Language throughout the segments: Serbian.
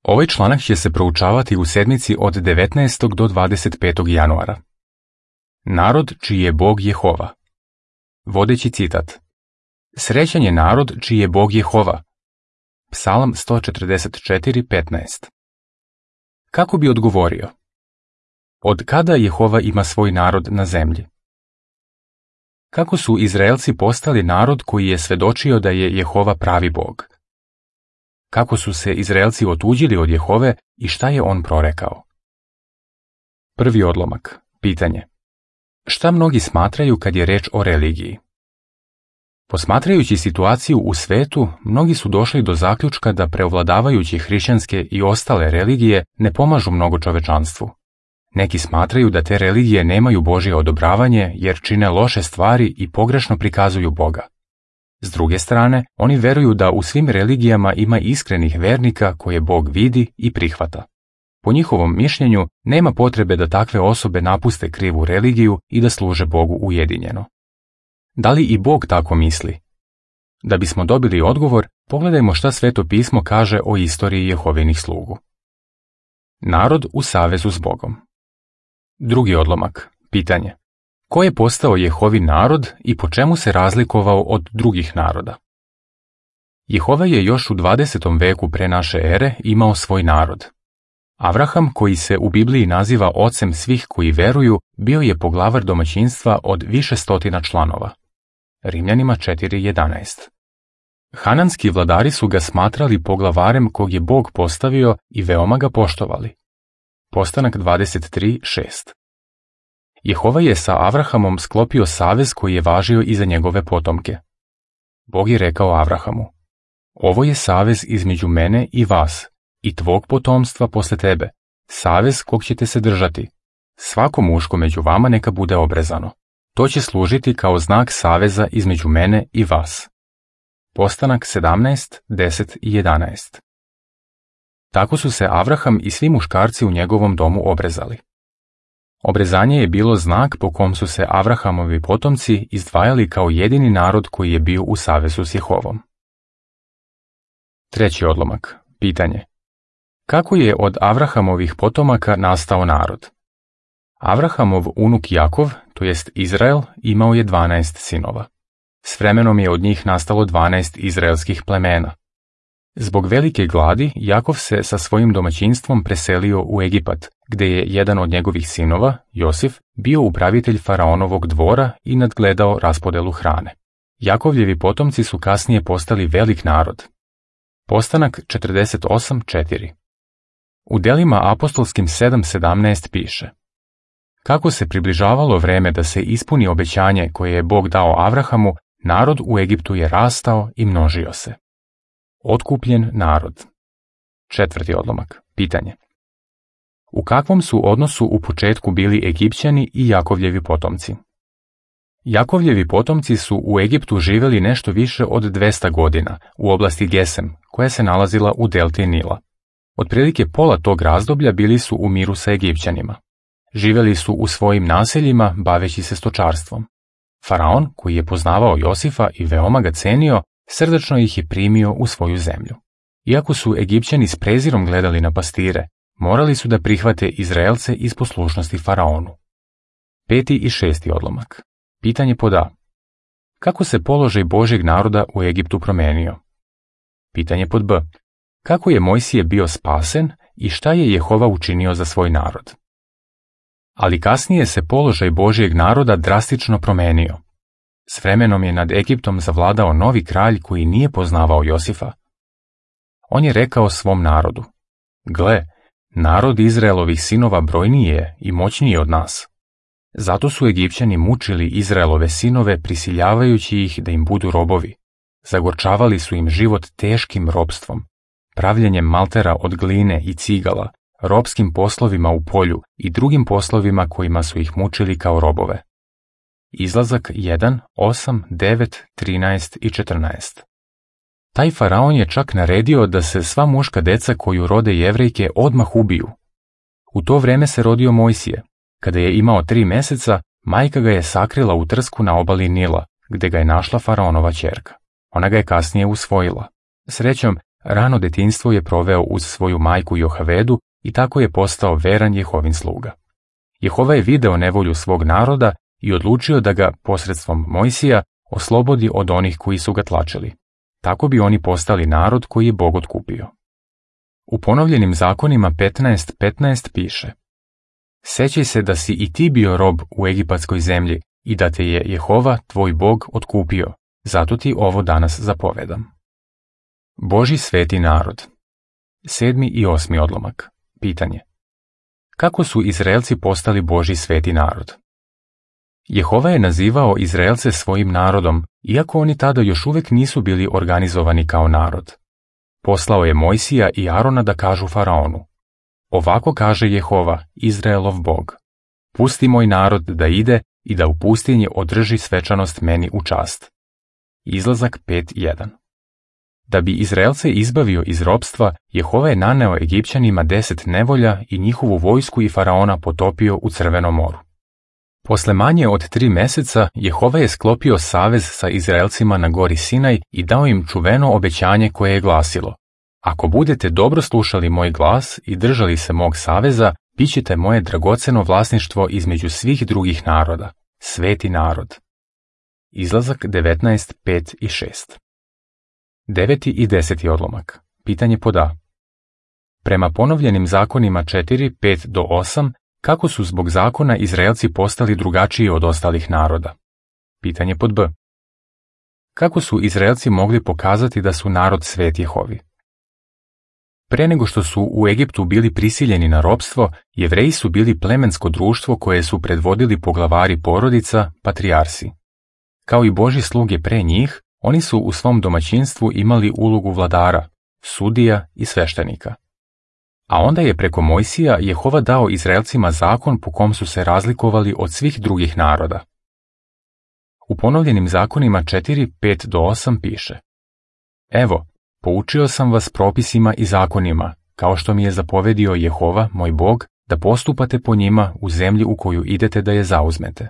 Ovaj članak će se proučavati u sedmici od 19. do 25. januara. Narod čiji je Bog Jehova. Vodeći citat. Srećan je narod čiji je Bog Jehova. Psalam 144:15. Kako bi odgovorio? Od kada Jehova ima svoj narod na zemlji? Kako su Izraelci postali narod koji je svedočio da je Jehova pravi Bog? Kako su se Izraelci otuđili od Jehove i šta je on prorekao? Prvi odlomak. Pitanje. Šta mnogi smatraju kad je reč o religiji? Posmatrajući situaciju u svetu, mnogi su došli do zaključka da preovladavajući hrišćanske i ostale religije ne pomažu mnogo čovečanstvu. Neki smatraju da te religije nemaju Božje odobravanje jer čine loše stvari i pogrešno prikazuju Boga. S druge strane, oni veruju da u svim religijama ima iskrenih vernika koje Bog vidi i prihvata. Po njihovom mišljenju, nema potrebe da takve osobe napuste krivu religiju i da služe Bogu ujedinjeno. Da li i Bog tako misli? Da bismo dobili odgovor, pogledajmo šta Sveto pismo kaže o istoriji Jehovinih slugu. Narod u savezu s Bogom. Drugi odlomak. Pitanje. Ko je postao Jehovin narod i po čemu se razlikovao od drugih naroda? Jehova je još u 20. veku pre naše ere imao svoj narod. Avraham, koji se u Bibliji naziva ocem svih koji veruju, bio je poglavar domaćinstva od više stotina članova. Rimljanima 4:11. Hananski vladari su ga smatrali poglavarem kog je Bog postavio i veoma ga poštovali. Postanak 23:6. Jehova je sa Avrahamom sklopio savez koji je važio i za njegove potomke. Bog je rekao Avrahamu: Ovo je savez između mene i vas i tvog potomstva posle tebe, savez kog ćete se držati. Svako muško među vama neka bude obrezano. To će služiti kao znak saveza između mene i vas. Postanak 17:10-11. Tako su se Avraham i svi muškarci u njegovom domu obrezali. Obrezanje je bilo znak po kom su se Avrahamovi potomci izdvajali kao jedini narod koji je bio u savezu s Jehovom. Treći odlomak. Pitanje. Kako je od Avrahamovih potomaka nastao narod? Avrahamov unuk Jakov, to jest Izrael, imao je 12 sinova. S vremenom je od njih nastalo 12 izraelskih plemena. Zbog velike gladi, Jakov se sa svojim domaćinstvom preselio u Egipat, gde je jedan od njegovih sinova, Josif, bio upravitelj faraonovog dvora i nadgledao raspodelu hrane. Jakovljevi potomci su kasnije postali velik narod. Postanak 48:4. U delima apostolskim 7:17 piše: Kako se približavalo vreme da se ispuni obećanje koje je Bog dao Avrahamu, narod u Egiptu je rastao i množio se. Otkupljen narod. Četvrti odlomak. Pitanje. U kakvom su odnosu u početku bili Egipćani i Jakovljevi potomci? Jakovljevi potomci su u Egiptu živjeli nešto više od 200 godina u oblasti Gesem, koja se nalazila u delti Nila. Otprilike pola tog razdoblja bili su u miru sa Egipćanima. Živjeli su u svojim naseljima baveći se stočarstvom. Faraon, koji je poznavao Josifa i veoma ga cenio, srdačno ih je primio u svoju zemlju. Iako su Egipćani s prezirom gledali na pastire, morali su da prihvate Izraelce iz poslušnosti Faraonu. Peti i šesti odlomak. Pitanje pod A. Kako se položaj Božjeg naroda u Egiptu promenio? Pitanje pod B. Kako je Mojsije bio spasen i šta je Jehova učinio za svoj narod? Ali kasnije se položaj Božjeg naroda drastično promenio. S vremenom je nad Egiptom zavladao novi kralj koji nije poznavao Josifa. On je rekao svom narodu: Gle, narod Izraelovih sinova brojniji je i moćniji od nas. Zato su Egipćani mučili Izraelove sinove prisiljavajući ih da im budu robovi. Zagorčavali su im život teškim ropstvom, pravljenjem maltera od gline i cigala, ropskim poslovima u polju i drugim poslovima kojima su ih mučili kao robove. Izlazak 1, 8, 9, 13 i 14. Taj faraon je čak naredio da se sva muška deca koju rode Jevrejke odmah ubiju. U to vreme se rodio Mojsije. Kada je imao 3 meseca, majka ga je sakrila u trsku na obali Nila, gde ga je našla faraonova ćerka. Ona ga je kasnije usvojila. Srećom, Rano detinjstvo je proveo uz svoju majku Johavedu i tako je postao veran Jehovin sluga. Jehova je video nevolju svog naroda i odlučio da ga posredstvom Mojsija oslobodi od onih koji su ga tlačili. Tako bi oni postali narod koji je Bog otkupio. U ponovljenim zakonima 15:15 piše: Sećaj se da si i ti bio rob u egipatskoj zemlji i da te je Jehova, tvoj Bog, otkupio, zato ti ovo danas zapovedam. Božji sveti narod. 7. i 8. odlomak. Pitanje: kako su Izraelci postali Božji sveti narod? Jehova je nazivao Izraelce svojim narodom, iako oni tada još uvijek nisu bili organizovani kao narod. Poslao je Mojsija i Arona da kažu faraonu: ovako kaže Jehova, Izraelov Bog: pusti moj narod da ide i da u pustinji održi svečanost meni u čast. Izlazak 5:1. Da bi Izraelce izbavio iz ropstva, Jehova je naneo Egipćanima 10 nevolja i njihovu vojsku i faraona potopio u Crvenom moru. Posle manje od 3 meseca Jehova je sklopio savez sa Izraelcima na gori Sinaj i dao im čuveno obećanje koje je glasilo: ako budete dobro slušali moj glas i držali se mog saveza, bit ćete moje dragoceno vlasništvo između svih drugih naroda, sveti narod. Izlazak 19:5 i 6. 9. i 10. odlomak. Pitanje pod A. Prema ponovljenim zakonima 4:5 do 8, kako su zbog zakona Izraelci postali drugačiji od ostalih naroda? Pitanje pod B. Kako su Izraelci mogli pokazati da su narod svet Jehovi? Pre nego što su u Egiptu bili prisiljeni na ropstvo, Jevreji su bili plemensko društvo koje su predvodili poglavari porodica, patrijarsi. Kao i Božji sluge pre njih, oni su u svom domaćinstvu imali ulogu vladara, sudija i sveštenika. A onda je preko Mojsija Jehova dao Izraelcima zakon po kom su se razlikovali od svih drugih naroda. U ponovljenim zakonima 4:5 do 8 piše: evo, poučio sam vas propisima i zakonima, kao što mi je zapovedio Jehova, moj Bog, da postupate po njima u zemlji u koju idete da je zauzmete.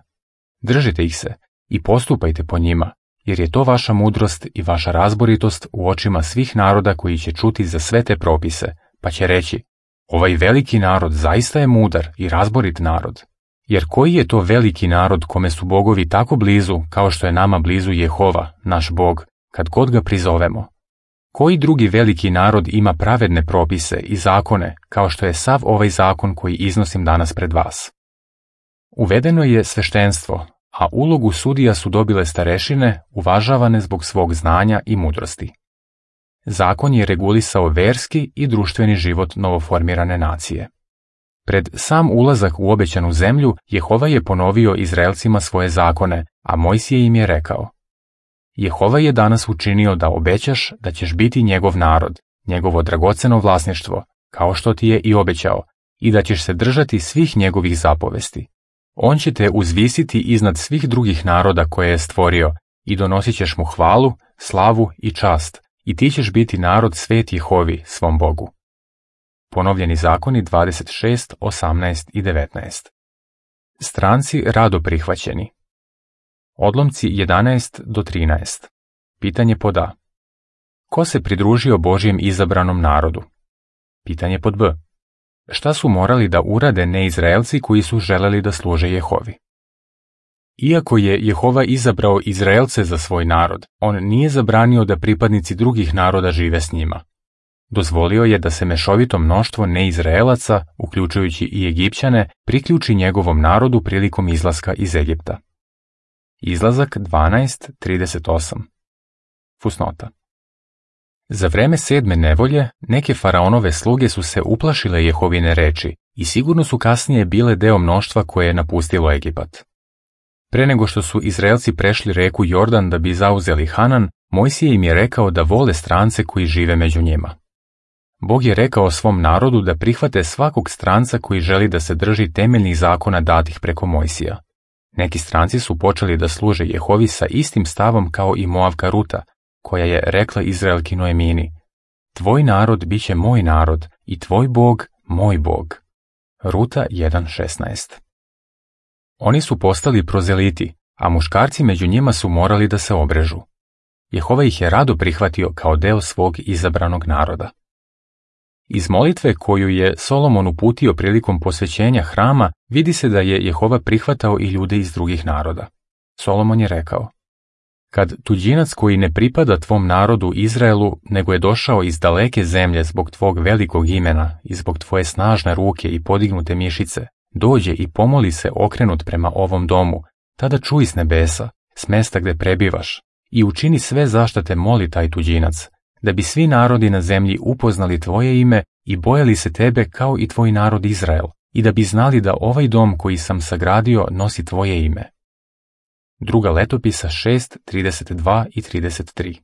Držite ih se i postupajte po njima, jer je to vaša mudrost i vaša razboritost u očima svih naroda koji će čuti za sve te propise, pa će reći: ovaj veliki narod zaista je mudar i razborit narod. Jer koji je to veliki narod kome su bogovi tako blizu kao što je nama blizu Jehova, naš Bog, kad god ga prizovemo? Koji drugi veliki narod ima pravedne propise i zakone kao što je sav ovaj zakon koji iznosim danas pred vas? Uvedeno je sveštenstvo, a ulogu sudija su dobile starešine, uvažavane zbog svog znanja i mudrosti. Zakon je regulisao verski i društveni život novoformirane nacije. Pred sam ulazak u obećanu zemlju, Jehova je ponovio Izraelcima svoje zakone, a Mojsije im je rekao: Jehova je danas učinio da obećaš da ćeš biti njegov narod, njegovo dragoceno vlasništvo, kao što ti je i obećao, i da ćeš se držati svih njegovih zapovesti. On će te uzvisiti iznad svih drugih naroda koje je stvorio i donosit ćeš mu hvalu, slavu i čast, i ti ćeš biti narod svet Jehovi, svom Bogu. Ponovljeni zakoni 26, 18 i 19. Stranci rado prihvaćeni. Odlomci 11 do 13. Pitanje pod A. Ko se pridružio Božjem izabranom narodu? Pitanje pod B. Šta su morali da urade neizraelci koji su želeli da služe Jehovi? Iako je Jehova izabrao Izraelce za svoj narod, on nije zabranio da pripadnici drugih naroda žive s njima. Dozvolio je da se mešovito mnoštvo neizraelaca, uključujući i Egipćane, priključi njegovom narodu prilikom izlaska iz Egipta. Izlazak 12:38. Fusnota. Za vreme 7. nevolje, neke faraonove sluge su se uplašile Jehovine reči i sigurno su kasnije bile deo mnoštva koje je napustilo Egipat. Pre nego što su Izraelci prešli reku Jordan da bi zauzeli Hanan, Mojsije im je rekao da vole strance koji žive među njima. Bog je rekao svom narodu da prihvate svakog stranca koji želi da se drži temeljnih zakona datih preko Mojsija. Neki stranci su počeli da služe Jehovi sa istim stavom kao i Moavka Ruta, koja je rekla Izraelki Noemini: tvoj narod bit će moj narod i tvoj Bog moj Bog. Ruta 1:16. Oni su postali prozeliti, a muškarci među njima su morali da se obrežu. Jehova ih je rado prihvatio kao deo svog izabranog naroda. Iz molitve koju je Solomon uputio prilikom posvećenja hrama vidi se da je Jehova prihvatao i ljude iz drugih naroda. Solomon je rekao: Kad tuđinac koji ne pripada tvom narodu Izraelu, nego je došao iz daleke zemlje zbog tvog velikog imena i zbog tvoje snažne ruke i podignute mišice, dođe i pomoli se okrenut prema ovom domu, tada čuj s nebesa, s mesta gde prebivaš, i učini sve zašta te moli taj tuđinac, da bi svi narodi na zemlji upoznali tvoje ime i bojali se tebe kao i tvoj narod Izrael, i da bi znali da ovaj dom koji sam sagradio nosi tvoje ime. Druga letopisa 6, 32 i 33.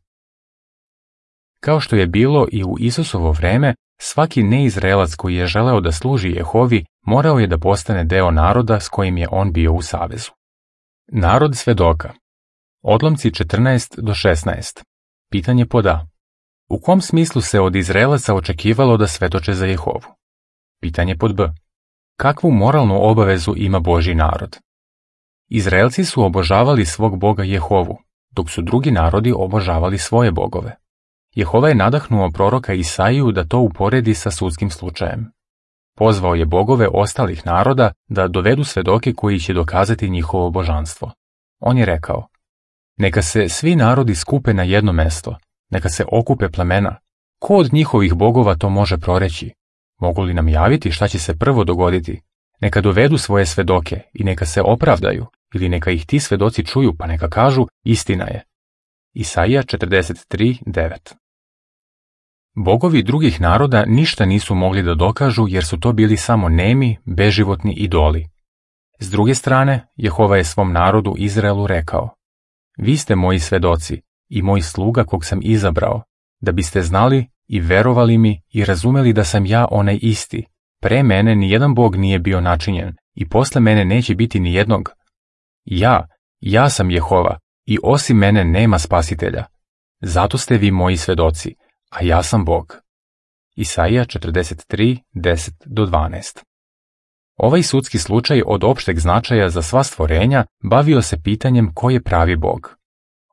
Kao što je bilo i u Isusovo vreme, svaki neizraelac koji je želeo da služi Jehovi morao je da postane deo naroda s kojim je on bio u savezu. Narod svedoka. Odlomci 14 do 16. Pitanje pod A. U kom smislu se od Izraelaca očekivalo da svedoče za Jehovu? Pitanje pod B. Kakvu moralnu obavezu ima Božji narod? Izraelci su obožavali svog Boga Jehovu, dok su drugi narodi obožavali svoje bogove. Jehova je nadahnuo proroka Isaiju da to uporedi sa sudskim slučajem. Pozvao je bogove ostalih naroda da dovedu svedoke koji će dokazati njihovo božanstvo. On je rekao: Neka se svi narodi skupe na jedno mesto, neka se okupe plemena. Ko od njihovih bogova to može proreći? Mogu li nam javiti šta će se prvo dogoditi? Neka dovedu svoje svedoke i neka se opravdaju, ili neka ih ti svedoci čuju pa neka kažu: istina je. Isaija 43:9. Bogovi drugih naroda ništa nisu mogli da dokažu jer su to bili samo nemi, beživotni idoli. S druge strane, Jehova je svom narodu Izraelu rekao: Vi ste moji svedoci i moj sluga kog sam izabrao, da biste znali i verovali mi i razumeli da sam ja onaj isti. Pre mene nijedan bog nije bio načinjen i posle mene neće biti nijednog. Ja sam Jehova i osim mene nema spasitelja. Zato ste vi moji svedoci, a ja sam Bog. Isaija 43:10-12. Ovaj sudski slučaj od opšteg značaja za sva stvorenja bavio se pitanjem ko je pravi Bog.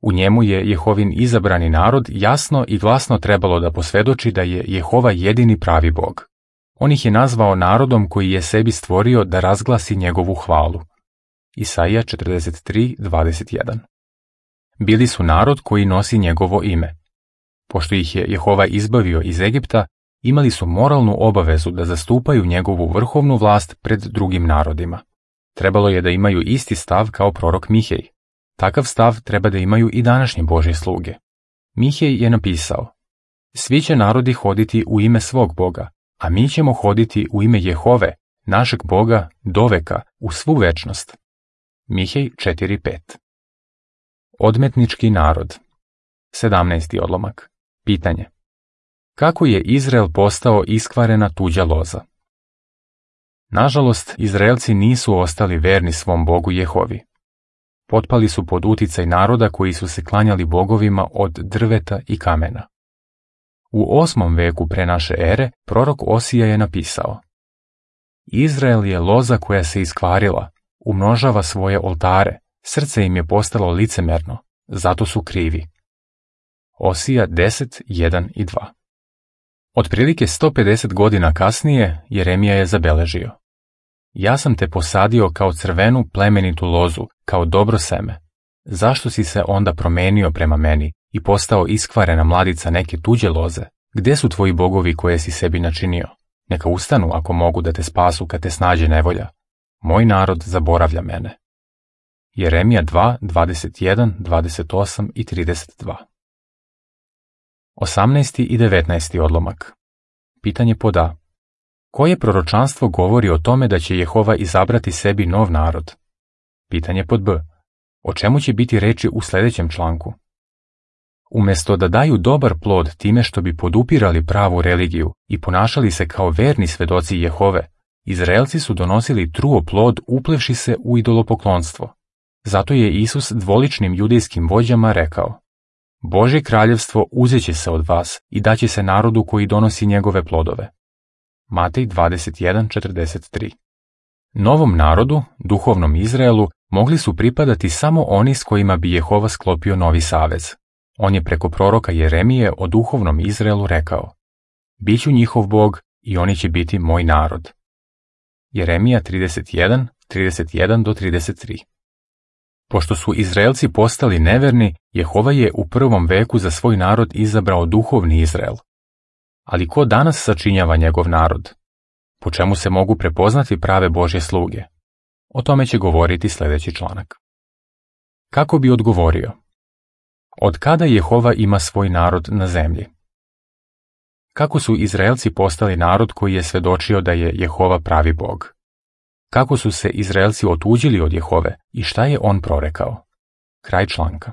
U njemu je Jehovin izabrani narod jasno i glasno trebalo da posvedoči da je Jehova jedini pravi Bog. On ih je nazvao narodom koji je sebi stvorio da razglasi njegovu hvalu. Isaija 43:21. Bili su narod koji nosi njegovo ime. Pošto ih je Jehova izbavio iz Egipta, imali su moralnu obavezu da zastupaju njegovu vrhovnu vlast pred drugim narodima. Trebalo je da imaju isti stav kao prorok Mihej. Takav stav treba da imaju i današnje Božje sluge. Mihej je napisao: Svi će narodi hoditi u ime svog Boga, a mi ćemo hoditi u ime Jehove, našeg Boga, doveka, u svu večnost. Mihej 4:5. Odmetnički narod. 17. odlomak. Pitanje. Kako je Izrael postao iskvarena tuđa loza? Nažalost, Izraelci nisu ostali verni svom Bogu Jehovi. Potpali su pod uticaj naroda koji su se klanjali bogovima od drveta i kamena. U 8. veku pre naše ere prorok Osija je napisao: Izrael je loza koja se iskvarila, umnožava svoje oltare, srce im je postalo licemerno, zato su krivi. Osija 10:1 i 2. Otprilike 150 godina kasnije Jeremija je zabeležio: Ja sam te posadio kao crvenu plemenitu lozu, kao dobro seme. Zašto si se onda promenio prema meni i postao iskvarena mladica neke tuđe loze? Gde su tvoji bogovi koje si sebi načinio? Neka ustanu ako mogu da te spasu kad te snađe nevolja. Moj narod zaboravlja mene. Jeremija 2:21, 28 i 32. 18. i 19. odlomak. Pitanje pod A. Koje proročanstvo govori o tome da će Jehova izabrati sebi nov narod? Pitanje pod B. O čemu će biti reči u sljedećem članku? Umesto da daju dobar plod time što bi podupirali pravu religiju i ponašali se kao verni svedoci Jehove, Izraelci su donosili truo plod uplevši se u idolopoklonstvo. Zato je Isus dvoličnim judejskim vođama rekao: Božje kraljevstvo uzeće se od vas i daće se narodu koji donosi njegove plodove. Matej 21:43. Novom narodu, duhovnom Izraelu, mogli su pripadati samo oni s kojima bi Jehova sklopio novi savez. On je preko proroka Jeremije o duhovnom Izraelu rekao: Biću njihov Bog i oni će biti moj narod. Jeremija 31, 31-33. Pošto su Izraelci postali neverni, Jehova je u prvom veku za svoj narod izabrao duhovni Izrael. Ali ko danas sačinjava njegov narod? Po čemu se mogu prepoznati prave Božje sluge? O tome će govoriti sljedeći članak. Kako bi odgovorio? Od kada Jehova ima svoj narod na zemlji? Kako su Izraelci postali narod koji je svedočio da je Jehova pravi Bog? Kako su se Izraelci otuđili od Jehove i šta je on prorekao? Kraj članka.